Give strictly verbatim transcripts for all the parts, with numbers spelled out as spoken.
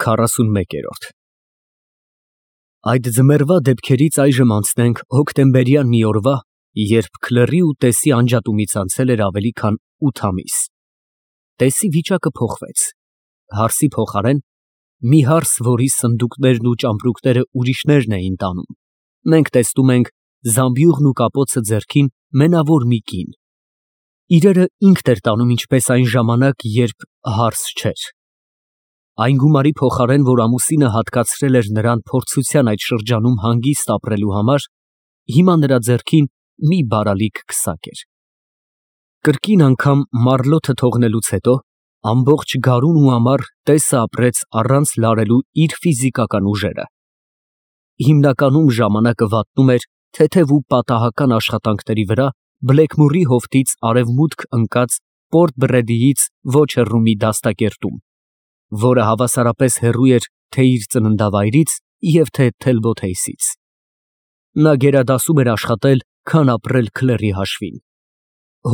քառասունմեկ։ Այդ ձմեռվա դեպքերից այժմ անցնենք հոկտեմբերյան մի օրվա, երբ Քլերի ու Տեսի անջատումից անցել էր ավելի քան ութ ամիս։ Տեսի վիճակը փոխվեց, հարսի փոխարեն մի հարս, որի սնդուկներն ու ճամպրուկները ուրիշներն էին տանում, մենք տեսնում ենք զամբյուղն ու կապոցը ձեռքին մենավոր մի կին։ Իրերը ինքն էր տանում ինչպես այն ժամանակ, երբ հարս չէր։ Այն գումարի փոխարեն, որ ամուսինը հատկացրել էր նրան փորձության այդ շրջանում հանգիստ ապրելու համար, հիմա նրա ձեռքին մի բարալիկ քսակ էր։ Կրկին անգամ մառլոթը թողնելուց հետո ամբողջ գարուն ու ամառ Տեսը ապրեց առանց լարելու իր ֆիզիկական ուժերը։ Հիմնականում ժամանակը վատնում էր թեթև ու պատահական աշխատանքների վրա Բլեքմուրի հովտից արևմուտք ընկած Պորտ Բրեդիից ոչ հեռու մի դաստակերտում, որը հավասարապես հեռու էր թե իր ծննդավայրից և թե Թելբոթեյսից։ Նա գերադասում էր աշխատել, քան ապրել Քլերի հաշվին։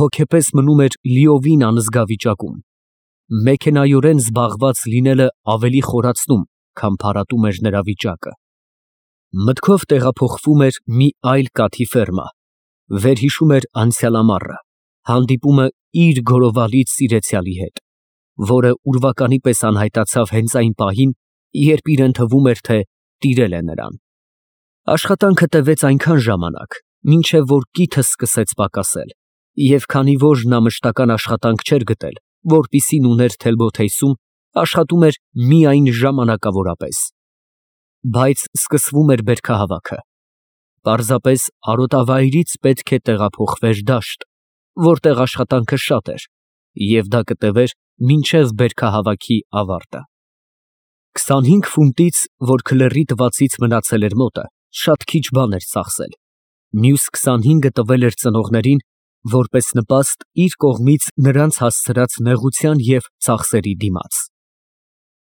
Հոգեպես մնում էր լիովին անզգա վիճակում։ Մեքենայորեն զբաղված լինելը ավելի խորացնում, քան փարատում էր նրա վիճակը։ Մտքով տեղափոխվում էր մի այլ կաթի ֆերմա, վերհիշում էր անցյալ ամառը, հանդիպումը իր գորովալից սիրեցյալի հետ, որը ուրվականի պես անհայտացավ հենց այն պահին, երբ իրեն թվում էր, թե տիրել է նրան։ Աշխատանքը տևեց այնքան ժամանակ, մինչև որ կիթը սկսեց պակասել, և քանի որ նա մշտական աշխատանք չէր գտել, որպիսին ուներ Թելբոթեյսում, աշխատում էր միայն ժամանակավորապես։ Բայց սկսվում էր բերքահավաքը։ Պարզապես արոտավայրից պետք է տեղափոխվեր դաշտ, որտեղ աշխատանքը շատ էր, և դա կտևեր մինչև բերքահավաքի ավարտը։ Քսանհինգ ֆունտից, որ Քլերի տվածից մնացել էր մոտը, շատ քիչ բան էր ծախսել, մյուս քսանհինգը տվել էր ծնողներին, որպես նպաստ իր կողմից նրանց հասցրած նեղության և ծախսերի դիմաց։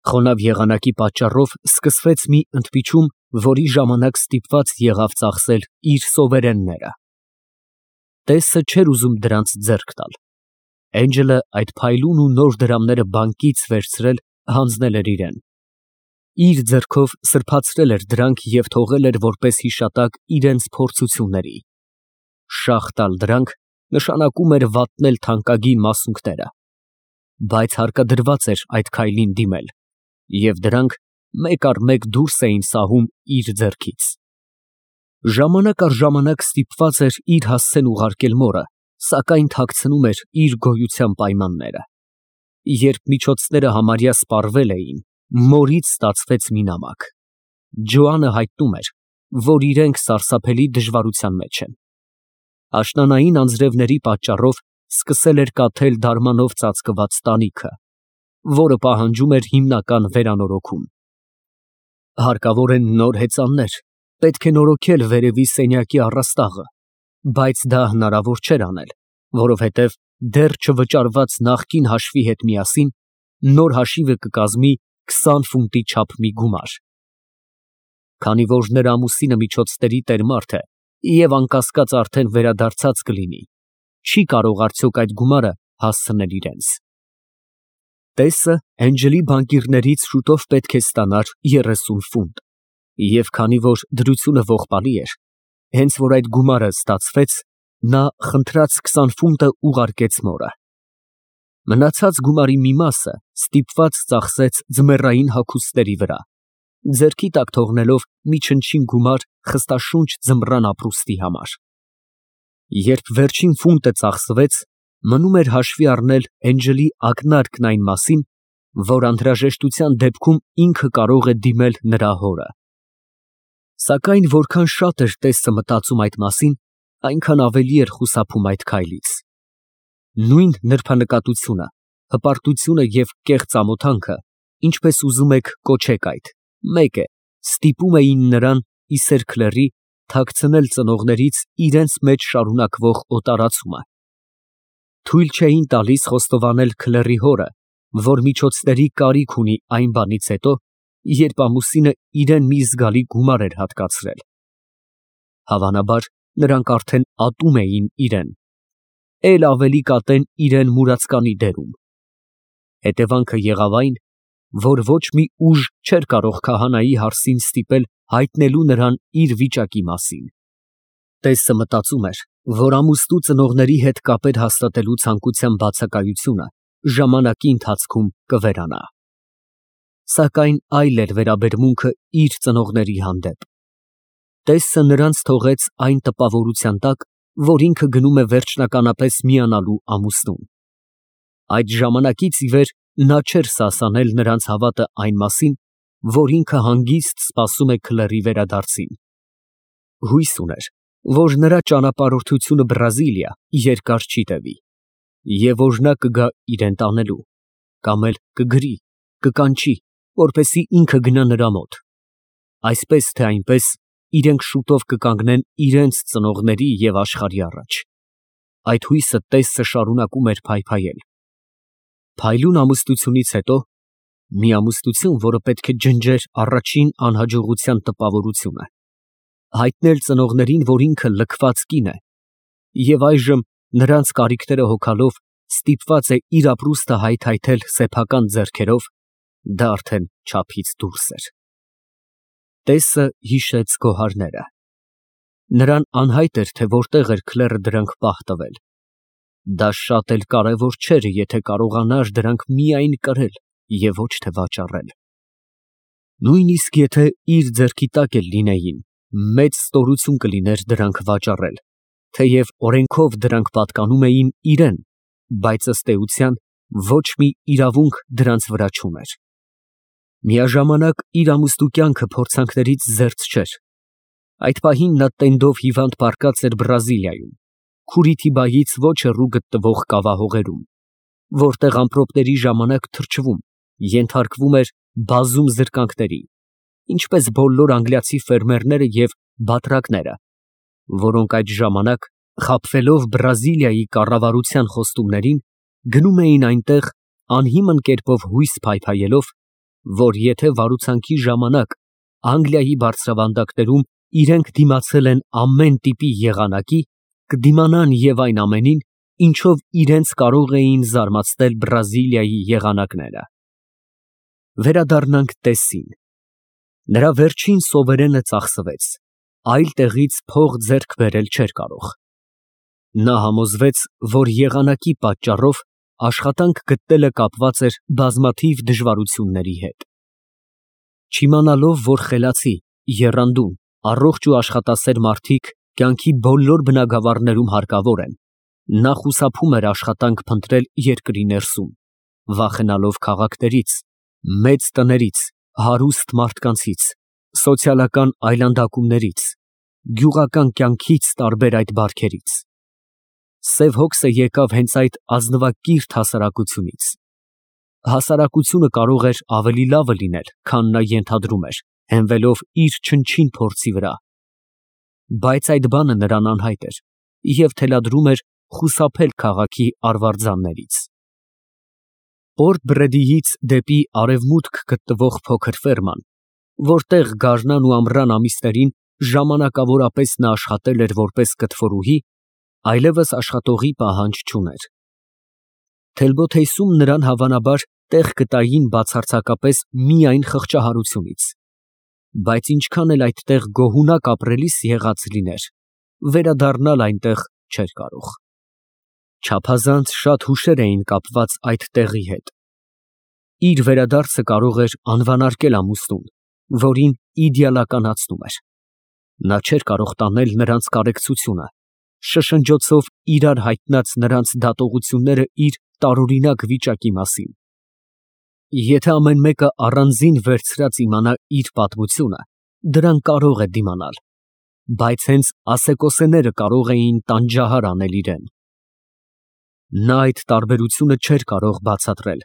Խոնավ եղանակի պատճառով սկսվեց մի ընդմիջում, որի ժամանակ ստիպված եղավ ծախսել իր սովերենները։ Տեսը չէր ուզում դրանց ձեռք տալ։ Էնջելը այդ փայլուն ու նոր դրամները բանկից վերցրել հանձնել էր իրան։ Իր ձեռքով սրբացրել էր դրանք և թողել էր որպես հիշատակ իրենց փորձությունների։ Շաղ տալ դրանք նշանակում էր վատնել թանկագին մասունքները։ Բայց հարկադրված էր այդ քայլին դիմել, և դրանք մեկ առ մեկ դուրս էին սահում իր ձեռքից։ Ժամանակ առ ժամանակ ստիպված էր իր հասցեն ուղարկել մորը, սակայն թաքցնում էր իր գոյության պայմանները։ Երբ միջոցները համարյա սպառվել էին, մորից ստացվեց մի նամակ։ Ջոանը հայտնում էր, որ իրենք սարսափելի դժվարության մեջ են։ Աշնանային անձրևների պատճառով սկսել էր կաթել դարմանով ծածկված տանիքը, որը պահանջում էր հիմնական վերանորոգում։ Հարկավոր են նոր հեծաններ, պետք է նորոգել վերևի սենյակի առաստաղը, բայց դա հնարավոր չէր անել, որովհետև դեռ չվճարված նախկին հաշվի հետ միասին նոր հաշիվը կկազմի քսան ֆունտի չափ մի գումար։ Քանի որ նրա ամուսինը միջոցների տեր մարդ է և անկասկած արդեն վերադարձած կլինի, չի կարող արդյոք այդ գումարը հասցնել իրենց։ Տեսը Էնջելի բանկիրներից շուտով պետք է ստանար երեսուն ֆունտ, և քանի որ դրությունը ողբալի էր, հենց որ այդ գումարը ստացվեց, նա խնդրած քսան ֆունտը ուղարկեց մորը։ Մնացած գումարի մի մասը ստիպված ծախսեց ձմեռային հագուստների վրա, ձեռքի տակ թողնելով մի չնչին գումար խստաշունչ ձմռան ապրուստի համար։ Երբ վերջին ֆունտը ծախսվեց, մնում էր հաշվի առնել Էնջելի ակնարկն այն մասին, որ անհրաժեշտության դեպքում ինքը կարող է դիմել նրա հորը։ Սակայն որքան շատ էր Տեսը մտածում այդ մասին, այնքան ավելի էր խուսափում այդ քայլից։ Նույն նրբանկատությունը, հպարտությունը և կեղծ ամոթանքը, ինչպես ուզում եք կոչեք այդ, մեկ է, ստիպում էին նրան, իսեր Քլերի, թաքցնել ծնողներից իրենց մեջ շարունակվող օտարացումը։ Թույլ չէին տալիս խոստովանել Քլերի հորը, որ միջոցների կարիք ունի այն բանից հետո, երբ ամուսինը իրան մի զգալի գումար էր հատկացրել։ Հավանաբար, նրանք արդեն ատում էին իրան, էլ ավելի կատեն իրան մուրացկանի դերում։ Հետևանքը եղավ այն, որ ոչ մի ուժ չէր կարող քահանայի հարսին ստիպել հայտնելու նրան իր վիճակի մասին։ Տեսը մտածում էր, որ ամուսնու ծնողների հետ կապեր հաստատելու ցանկության բացակայությունը ժամանակի ընթացքում կվերանա։ Սակայն այլ էր վերաբերմունքը իր ծնողների հանդեպ։ Տեսը նրանց թողեց այն տպավորության տակ, որ ինքը գնում է վերջնականապես միանալու ամուսնուն։ Այդ ժամանակից ի վեր նա չէր սասանել նրանց հավատը այն մասին, որ ինքը հանգիստ սպասում է քլերի վերադարձին։ Հույս ուներ, որ նրա ճանապարհորդությունը Բրազիլիա երկար չի տևի, և որ նա կգա իրեն տանելու, կամ էլ կգրի, կկանչի, որպեսզի ինքը գնա նրա մոտ։ Այսպես թե այնպես իրենք շուտով կկանգնեն իրենց ծնողների և աշխարհի առաջ։ Այդ հույսը Տեսը շարունակում էր փայփայել։ Փայլուն ամուսնությունից հետո, մի ամուսնություն, որը պետք է ջնջեր առաջին անհաջողության տպավորությունը, հայտնել ծնողներին, որ ինքը լքված կին է, և այժմ նրանց կարիքները հոգալով ստիպված է իր ապրուստը հայթայթել սեփական ձեռքերով, դա արդեն չափից դուրս էր։ Տեսը հիշեց գոհարները։ Նրան անհայտ էր, թե որտեղ էր քլերը դրանք պահ տվել։ Դա շատ էլ կարևոր չէր, եթե կարողանար դրանք միայն կրել և ոչ թե վաճառել։ Նույնիսկ եթե իր ձեռքի տակ էլ լինեին, մեծ ստորություն կլիներ դրանք վաճառել, թեև օրենքով դրանք պատկանում էին իրան, բայց ըստ էության ոչ մի իրավունք դրանց վրա չուներ։ Միաժամանակ իր ամուսնու կյանքը փորձանքներից զերծ չէր։ Այդ պահին նա տենդով հիվանդ պառկած էր Բրազիլիայում, Քուրիթիբայից ոչ հեռու գտնվող կավահողերում, որտեղ ամպրոպների ժամանակ թրջվում, ենթարկվում էր բազում զրկանքների, ինչպես բոլոր անգլիացի ֆերմերները և բատրակները, որոնք այդ ժամանակ, խաբվելով Բրազիլիայի կառավարության խոստումներին, գնում էին այնտեղ անհիմն կերպով հույս փայփայելով, որ եթե վարուցանքի ժամանակ Անգլիայի բարձրավանդակներում իրենք դիմացել են ամեն տիպի եղանակի, կդիմանան և այն ամենին, ինչով իրենց կարող էին զարմացնել Բրազիլիայի եղանակները։ Վերադառնանք Տեսին։ Նրա վերջին սովերենը ծախսվեց, այլ տեղից փող ձեռք բերել չէր կարող։ Նա համոզվեց, որ եղանակի պատճառով աշխատանք գտնելը կապված էր բազմաթիվ դժվարությունների հետ։ Չիմանալով, որ խելացի, եռանդուն, առողջ ու աշխատասեր մարդիկ կյանքի բոլոր բնագավառներում հարկավոր են, նա խուսափում էր աշխատանք փնտրել երկրի ներսում, վախենալով քաղաքներից, մեծ տներից, հարուստ մարդկանցից, սոցիալական այլանդակումներից, գյուղական կյանքից տարբեր այդ բարքերից։ Սև հոգսը եկավ հենց այդ ազնվակիրթ հասարակությունից։ Հասարակությունը կարող էր ավելի լավը լինել, քան նա ենթադրում էր, հենվելով իր չնչին փորձի վրա։ Բայց այդ բանը նրան անհայտ էր և թելադրում էր խուսափել քաղաքի արվարձաններից։ Պորտ Բրեդիից դեպի արևմուտք գտնվող փոքր ֆերման, որտեղ գարնան ու ամռան ամիսներին ժամանակավորապես նա աշխատել էր որպես կտորուհի, այլևս աշխատողի պահանջ չուներ։ Թելբոթեյսում նրան հավանաբար տեղ կտային բացարձակապես միայն խղճահարությունից, բայց ինչքան էլ այդտեղ գոհունակ ապրելիս եղած լիներ, վերադառնալ այնտեղ չէր կարող։ Չափազանց շատ հուշեր էին կապված այդ տեղի հետ։ Իր վերադարձը կարող էր անվանարկել ամուսնուն, որին իդեալականացնում էր։ Նա չէր կարող տանել նրանց կարեկցությունը, շշնջոցով իրար հայտնած նրանց դատողությունները իր տարօրինակ վիճակի մասին։ Եթե ամեն մեկը առանձին վերցրած իմանա իր պատմությունը, դրան կարող է դիմանալ, բայց հենց ասեկոսեները կարող էին տանջահար անել իրեն։ Նա այդ տարբերությունը չէր կարող բացատրել,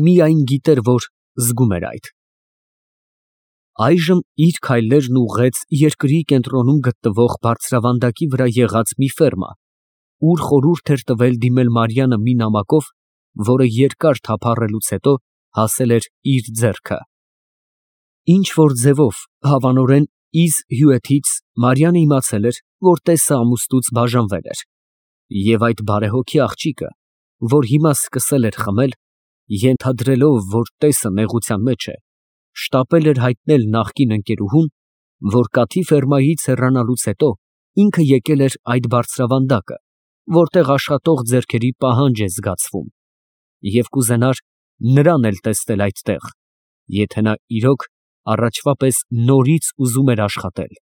միայն գիտեր, որ զգում էր այդ։ Այժմ իր քայլերն ուղղեց երկրի կենտրոնում գտնվող բարձրավանդակի վրա եղած մի ֆերմա, ուր խորհուրդ էր տվել դիմել Մարիամը մի նամակով, որը երկար թափառելուց հետո հասել էր իր ձեռքը։ Ինչ֊որ ձևով, հավանորեն Իզ հյուրից Մարիամը իմացել էր, որ Տեսը ամուսնուց բաժանվել էր, և այդ բարեհոգի աղջիկը, որ հիմա սկսել էր խմել, ենթադրելով, որ տեսը նեղության մեջ է, շտապել էր հայտնել նախկին ընկերուհուն, որ կաթի ֆերմայից հեռանալուց հետո ինքը եկել էր այդ բարձրավանդակը, որտեղ աշխատող ձեռքերի պահանջ է զգացվում, և կուզենար նրան էլ տեսնել այդտեղ, եթե նա իրոք առաջվա պես նորից ուզում էր աշխատել։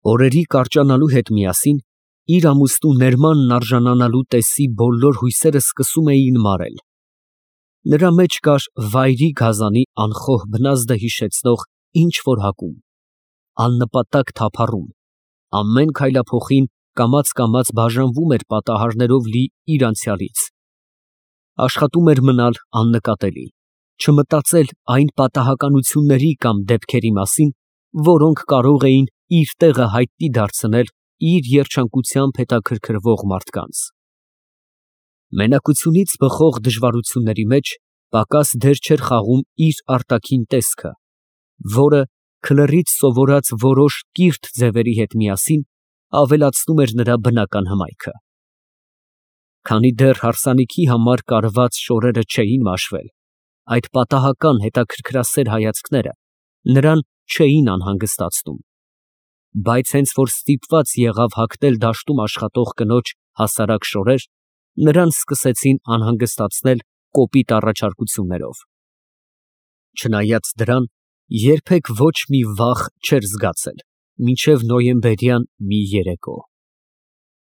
Օրերի կարճանալու հետ միասին իր ամուսնու ներմանն արժանանալու տեսի բոլոր հույսերը սկսում էին մարել։ Նրա մեջ կար վայրի գազանի անխոհ բնազդը հիշեցնող ինչ֊որ հակում, աննպատակ թափառում, ամեն քայլափոխին կամաց֊կամաց բաժանվում էր պատահարներով լի իր անցյալից։ Աշխատում էր մնալ աննկատելի, չմտածել այն պատահականությունների կամ դեպքերի մասին, որոնք կարող էին իր տեղը հայտնի դարձնել իր երջանկությամբ հետաքրքրվող մարդկանց։ Մենակությունից բխող դժվարությունների մեջ պակաս դեր չէր խաղում իր արտաքին տեսքը, որը քլեռից սովորած որոշ կիրթ ձևերի հետ միասին ավելացնում էր նրա բնական հմայքը։ Քանի դեռ հարսանիքի համար կարված շորերը չէին մաշվել, այդ պատահական հետաքրքրասեր հայացքները նրան չէին անհանգստացնում, բայց հենց որ ստիպված եղավ հագնել դաշտում աշխատող կնոջ հասարակ շորեր, նրան սկսեցին անհանգստացնել կոպիտ առաջարկություններով։ Չնայած դրան, երբեք ոչ մի վախ չէր զգացել, մինչև նոյեմբերյան մի երեկո։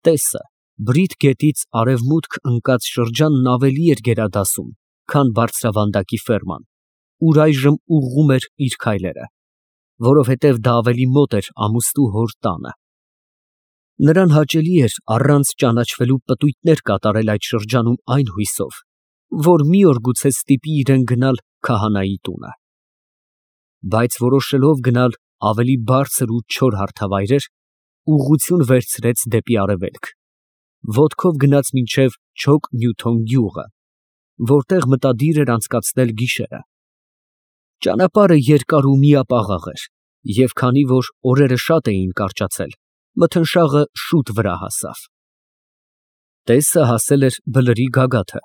Տեսը Բրիթ գետից արևմուտք ընկած շրջանն ավելի էր գերադասում, քան բարձրավանդակի ֆերման, ուր այժմ ուղղում էր իր քայլերը, որովհետև դա ավելի մոտ էր ամուսնու հոր տանը։ Նրան հաճելի էր առանց ճանաչվելու պտույտներ կատարել այդ շրջանում այն հույսով, որ մի օր գուցե ստիպի իրեն գնալ քահանայի տունը։ Բայց որոշելով գնալ ավելի բարձր ու չոր հարթավայրեր, ուղղություն վերցրեց դեպի արևելք, ոտքով գնաց մինչև Չոք Նյութոն գյուղը, որտեղ մտադիր էր անցկացնել գիշերը։ Ճանապարհը երկար ու միապաղաղ էր, և քանի որ օրերը շատ էին կարճացել, մթնշաղը շուտ վրա հասավ։ Տեսը հասել էր բլրի գագաթը,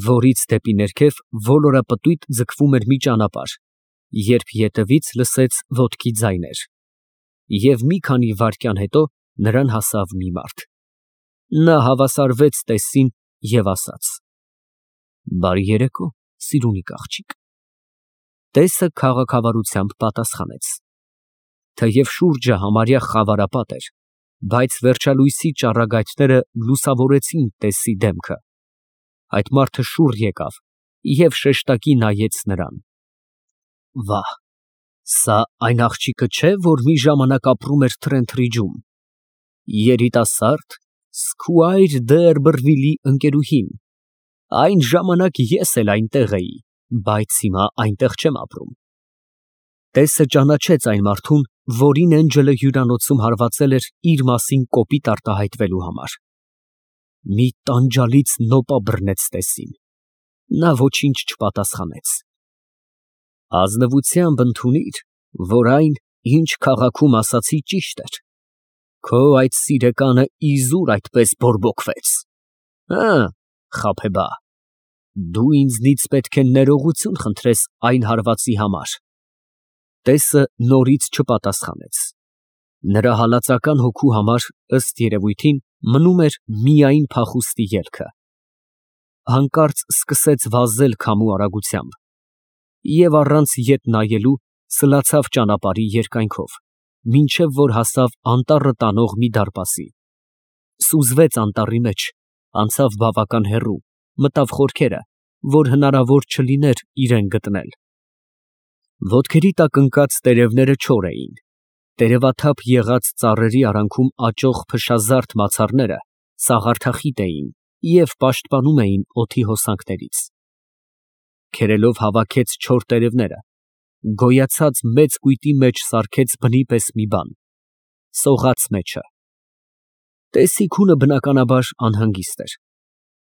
որից դեպի ներքև ոլորապտույտ ձգվում էր մի ճանապարհ, երբ ետևից լսեց ոտքի ձայներ, և մի քանի վայրկյան հետո նրան հասավ մի մարդ։ Նա հավասարվեց տեսին և ասաց. «Բարի երեկո, սիրունիկ աղջիկ»։ Տեսը քաղաքավարությամբ պատասխանեց։ Թեև շուրջը համարյա խավարապատ էր, բայց վերջալույսի ճառագայթները լուսավորեցին տեսի դեմքը։ Այդ մարդը շուռ եկավ և շեշտակի նայեց նրան։ Վա, սա այն աղջիկը չէ, որ մի ժամանակ ապրում էր Թրենթրիջում, երիտասարդ Սքուայր Դերբըրվիլի ընկերուհին։ Այն ժամանակ ես էլ այնտեղ էի, բայց հիմա այնտեղ չեմ ապրում։ Տեսը ճանաչեց այն մարդուն, որին Էնջելը հյուրանոցում հարվածել էր իր մասին կոպիտ արտահայտվելու համար։ Մի տանջալից նոպա բռնեց տեսին։ Նա ոչինչ չպատասխանեց։ Ազնվությամբ ընդունիր, որ այն, ինչ քաղաքում ասացի, ճիշտ էր։ Քո այդ սիրեկանը իզուր այդպես բորբոքվեց։ Հը, խաբեբա, դու ինձնից պետք է ներողություն խնդրես այն հարվածի համար։ Տեսը նորից չպատասխանեց։ Նրա հալածական հոգու համար, ըստ երևույթին, մնում էր միայն փախուստի ելքը։ Հանկարծ սկսեց վազել քամու արագությամբ և առանց ետ նայելու սլացավ ճանապարհի երկայնքով, մինչև որ հասավ անտառը տանող մի դարպասի։ Սուզվեց անտառի մեջ, անցավ բավական հեռու, մտավ խորքերը, որ հնարավոր չլիներ իրան գտնել։ Ոտքերի տակ ընկած տերևները չոր էին, տերևաթափ եղած ծառերի արանքում աճող փշազարդ մացառները սաղարթախիտ էին և պաշտպանում էին օդի հոսանքներից։ Քերելով հավաքեց չոր տերևները, գոյացած մեծ կույտի մեջ սարքեց բնի պես մի բան, սողաց մեջը։ Տեսի քունը բնականաբար անհանգիստ էր,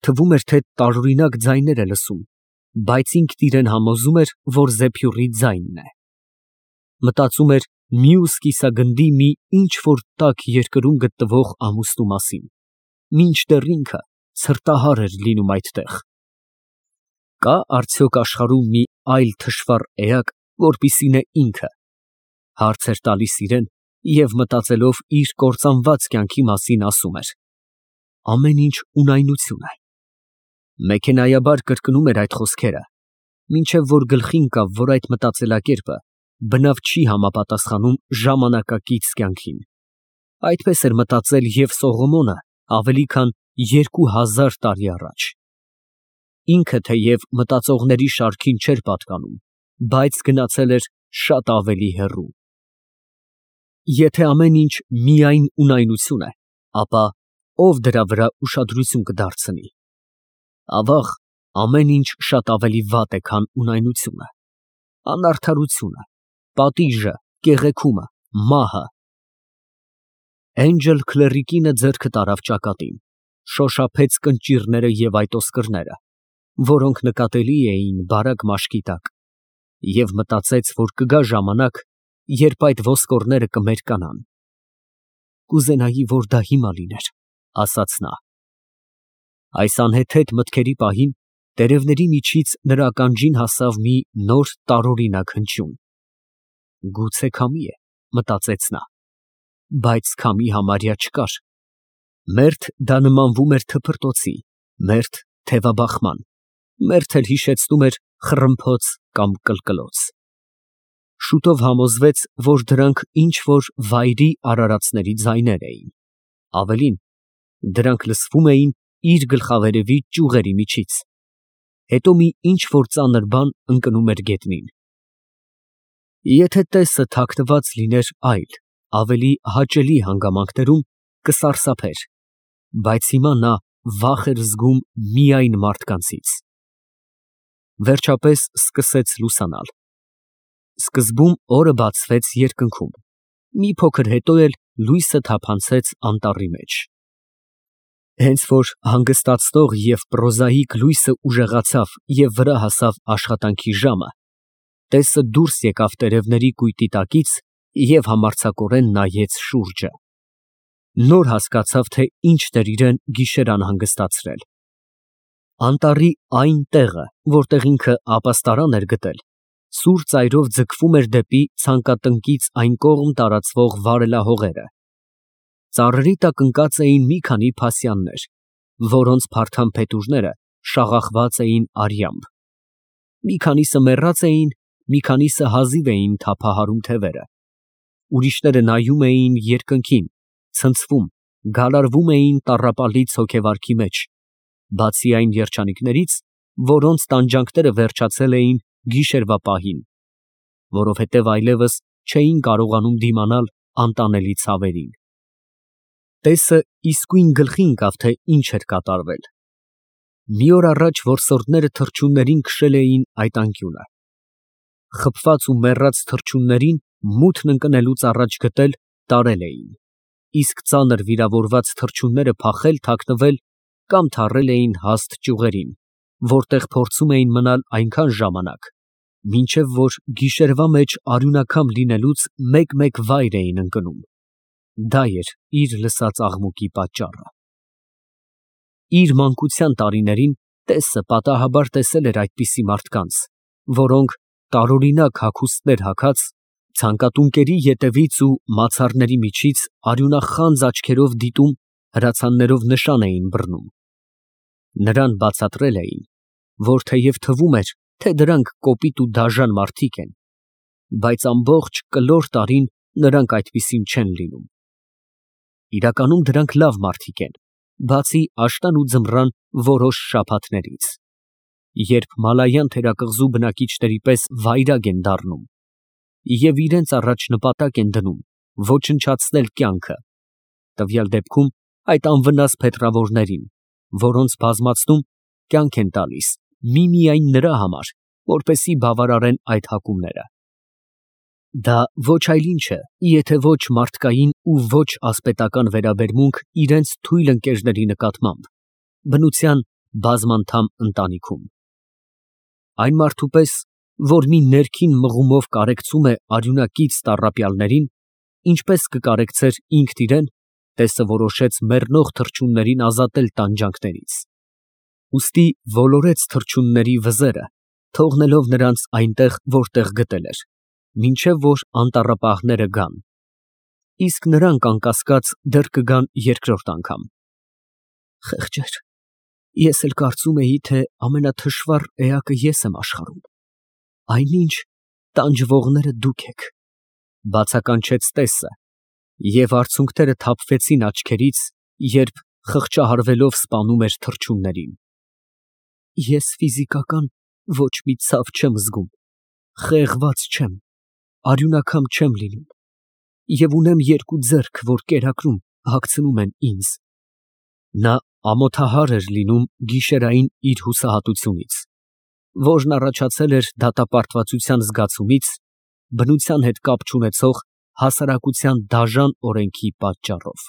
թվում էր, թե տարօրինակ ձայներ է լսում, բայց ինքն իրան համոզում էր, որ զեփյուռի ձայնն է։ Մտածում էր մյուս կիսագնդի մի ինչ֊որ տաք երկրում գտնվող ամուսնու մասին, մինչդեռ ինքը ցրտահար էր լինում այդտեղ։ Կա արդյոք աշխարհում մի այլ թշվառ էակ, որպիսին է ինքը, հարց էր տալիս իրան և մտածելով իր կործանված կյանքի մասին ասում էր. ամեն ինչ ունայնություն է։ Մեքենայաբար կրկնում էր այդ խոսքերը, մինչև որ գլխին ընկավ, որ այդ մտածելակերպը բնավ չի համապատասխանում ժամանակակից կյանքին։ Այդպես էր մտածել և Սողոմոնը ավելի քան երկու հազար տարի առաջ։ Ինքը թեև մտածողների շարքին չէր պատկանում, բայց գնացել էր շատ ավելի հեռու։ Եթե ամեն ինչ միայն ունայնություն է, ապա ով դրա վրա ուշադրություն կդարձնի։ Ավաղ, ամեն ինչ շատ ավելի վատ է, քան ունայնությունը, անարդարությունը, պատիժը, կեղեքումը, մահը։ Էնջել քլեռիկինը ձեռքը տարավ ճակատին, շոշափեց կնճիռները և այդ ոսկրները, որոնք նկատելի էին բարակ մաշկի տակ, և մտածեց, որ կգա ժամանակ, երբ այդ ոսկորները կմերկանան։ Կուզենայի, որ դա հիմա լիներ, ասաց նա։ Այս անհեթեթ մտքերի պահին տերևների միջից նրա ականջին հասավ մի նոր տարօրինակ հնչյուն։ Գուցե քամի է, մտածեց նա, բայց քամի համարյա չկար։ Մերթ դա նմանվում էր թփրտոցի, մերթ թևաբախման, մերթ էլ հիշեցնում էր խռմփոց կամ կլկլոց։ Շուտով համոզվեց, որ դրանք ինչ֊որ վայրի արարածների ձայներ էին, ավելին, դրանք լսվում էին իր գլխավերևի ճյուղերի միջից, հետո մի ինչ֊որ ծանր բան ընկնում էր գետնին։ Եթե տեսը թաքնված լիներ այլ, ավելի հաճելի հանգամանքներում, կսարսափեր, բայց հիմա նա վախ էր զգում միայն մարդկանցից։ Վերջապես սկսեց լուսանալ։ Սկզբում օրը բացվեց երկնքում, մի փոքր հետո էլ լույսը թափանցեց անտառի մեջ։ Հենց որ հանգստացնող և պրոզաիկ լույսը ուժեղացավ և վրա հասավ աշխատանքի ժամը, տեսը դուրս եկավ տերևների կույտի տակից և համարձակորեն նայեց շուրջը։ Նոր հասկացավ, թե ինչն էր իրան գիշեր անհանգստացրել։ Անտառի այն տեղը, որտեղ ինքը ապաստարան էր գտել, սուր ծայրով ձգվում էր դեպի ցանկատնկից այն կողմ տարածվող վարելահողերը։ Ծառերի տակ ընկած էին մի քանի փասյաններ, որոնց փարթամ փետուրները շաղախված էին արյամբ։ Մի քանիսը մեռած էին, մի քանիսը հազիվ էին թափահարում թևերը։ Ուրիշները նայում էին երկնքին, ցնցվում, գալարվում էին տառապալից հոգեվարքի մեջ, բացի այն երջանիկներից, որոնց տանջանքները վերջացել էին գիշերվա պահին, որովհետև այլևս չէին կարողանում դիմանալ անտանելի ցավերին։ Տեսը իսկույն գլխի ընկավ, թե ինչ էր կատարվել։ Մի օր առաջ որսորդները թռչուններին քշել էին այդ անկյունը։ Խփված ու մեռած թռչուններին մութն ընկնելուց առաջ գտել, տարել էին, իսկ ծանր վիրավորված թռչունները փախել, թաքնվել կամ թռել էին հաստ ճյուղերին, որտեղ փորձում էին մնալ այնքան ժամանակ, մինչև որ գիշերվա մեջ արյունակամ լինելուց մեկ֊մեկ վայր էին ընկնում։ Դա էր իր լսած աղմուկի պատճառը։ Իր մանկության տարիներին տեսը պատահաբար տեսել էր այդպիսի մարդկանց, որոնք տարօրինակ հագուստներ հագած, ցանկատունկերի ետևից ու մացառների միջից արյունախանձ աչքերով դիտում, հրացաններով նշան էին բռնում։ Նրան բացատրել էին, որ թեև թվում էր, թե դրանք կոպիտ ու դաժան մարդիկ են, բայց ամբողջ կլոր տարին նրանք այդպիսին չեն լինում։ Իրականում դրանք լավ մարդիկ են, բացի աշնան ու ձմռան որոշ շաբաթներից, երբ մալայան թերակղզու բնակիչների պես վայրագ են դառնում և իրենց առաջ նպատակ են դնում ոչնչացնել կյանքը, տվյալ դեպքում այդ անվնաս փետրավորներին, որոնց բազմացնում կյանք են տալիս միմիայն նրա համար, որպեսզի բավարարեն այդ հակումները։ Դա ոչ այլ ինչ է, եթե ոչ մարդկային ու ոչ ասպետական վերաբերմունք իրենց թույլ ընկերների նկատմամբ, բնության բազմանդամ ընտանիքում։ Այն մարդու պես, որ մի ներքին մղումով կարեկցում է արյունակից տառապյալներին, ինչպես կկարեկցեր ինքն իրեն, տեսը որոշեց մեռնող թռչուններին ազատել տանջանքներից։ Ուստի ոլորեց թռչունների վզերը, թողնելով նրանց այնտեղ, որտեղ գտել էր, մինչև որ անտառապահները գան, իսկ նրանք, անկասկած, դեռ կգան երկրորդ անգամ։ Խեղճեր, ես էլ կարծում էի, թե ամենաթշվառ էակը ես եմ աշխարհում, այնինչ տանջվողները դուք եք, բացականչեց տեսը, և արցունքները թափվեցին աչքերից, երբ խղճահարվելով սպանում էր թռչուններին։ Ես ֆիզիկական ոչ մի ցավ չեմ զգում, խեղված չեմ, արյունակամ չեմ լինում, և ունեմ երկու ձեռք, որ կերակրում, հագցնում են ինձ։ Նա ամոթահար էր լինում գիշերային իր հուսահատությունից, որն առաջացել էր դատապարտվածության զգացումից, բնության հետ կապ չունեցող հասարակության դաժան օրենքի պատճառով։